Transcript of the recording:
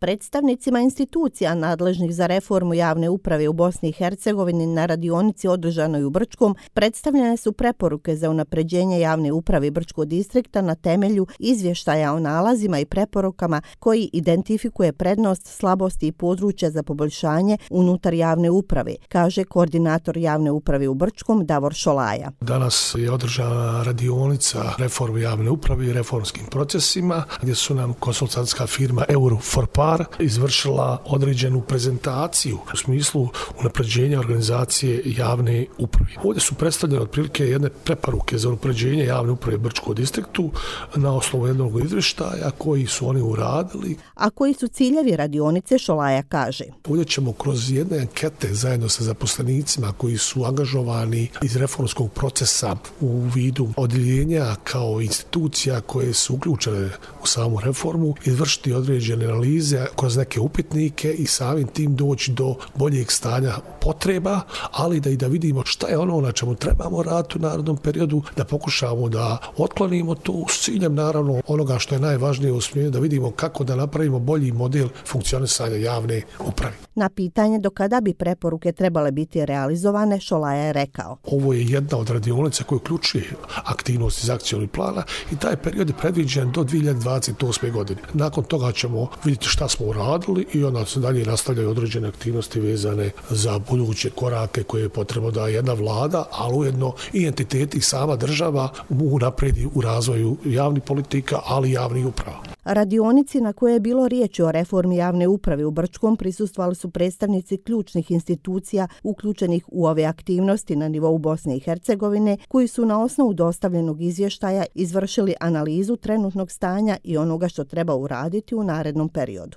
Predstavnicima institucija nadležnih za reformu javne uprave u Bosni i Hercegovini na radionici održanoj u Brčkom predstavljene su preporuke za unapređenje javne uprave Brčkog distrikta na temelju izvještaja o nalazima i preporukama koji identifikuje prednost, slabosti i područja za poboljšanje unutar javne uprave, kaže koordinator javne uprave u Brčkom Davor Šolaja. Danas je održana radionica reforme javne uprave i reformskim procesima gdje su nam konsultantska firma Euro4Par izvršila određenu prezentaciju u smislu unapređenja organizacije javne uprave. Ovdje su predstavljene otprilike jedne preporuke za unapređenje javne uprave Brčkog distriktu na osnovu jednog izvještaja koji su oni uradili. A koji su ciljevi radionice, Šolaja kaže. Ovdje ćemo kroz jedne ankete zajedno sa zaposlenicima koji su angažovani iz reformskog procesa u vidu odjeljenja kao institucija koje su uključene u samu reformu izvršiti određene analize kroz neke upitnike i samim tim doći do boljeg stanja potreba, ali da vidimo šta je ono na čemu trebamo raditi u narednom periodu, da pokušamo da otklonimo to s ciljem naravno onoga što je najvažnije u smjeru, da vidimo kako da napravimo bolji model funkcionisanja javne uprave. Na pitanje do kada bi preporuke trebale biti realizovane, Šolaja je rekao. Ovo je jedna od radionica koja uključuje aktivnosti iz akcijnog plana i taj period je predviđen do 2028. godine. Nakon toga ćemo vidjeti šta smo uradili i onda se dalje nastavljaju određene aktivnosti vezane za buduće korake koje je potrebno da jedna vlada, ali ujedno i entiteti i sama država mogu napredi u razvoju javnih politika, ali i javnih uprava. Radionici na kojoj je bilo riječi o reformi javne uprave u Brčkom prisustvovali su predstavnici ključnih institucija uključenih u ove aktivnosti na nivou Bosne i Hercegovine, koji su na osnovu dostavljenog izvještaja izvršili analizu trenutnog stanja i onoga što treba uraditi u narednom periodu.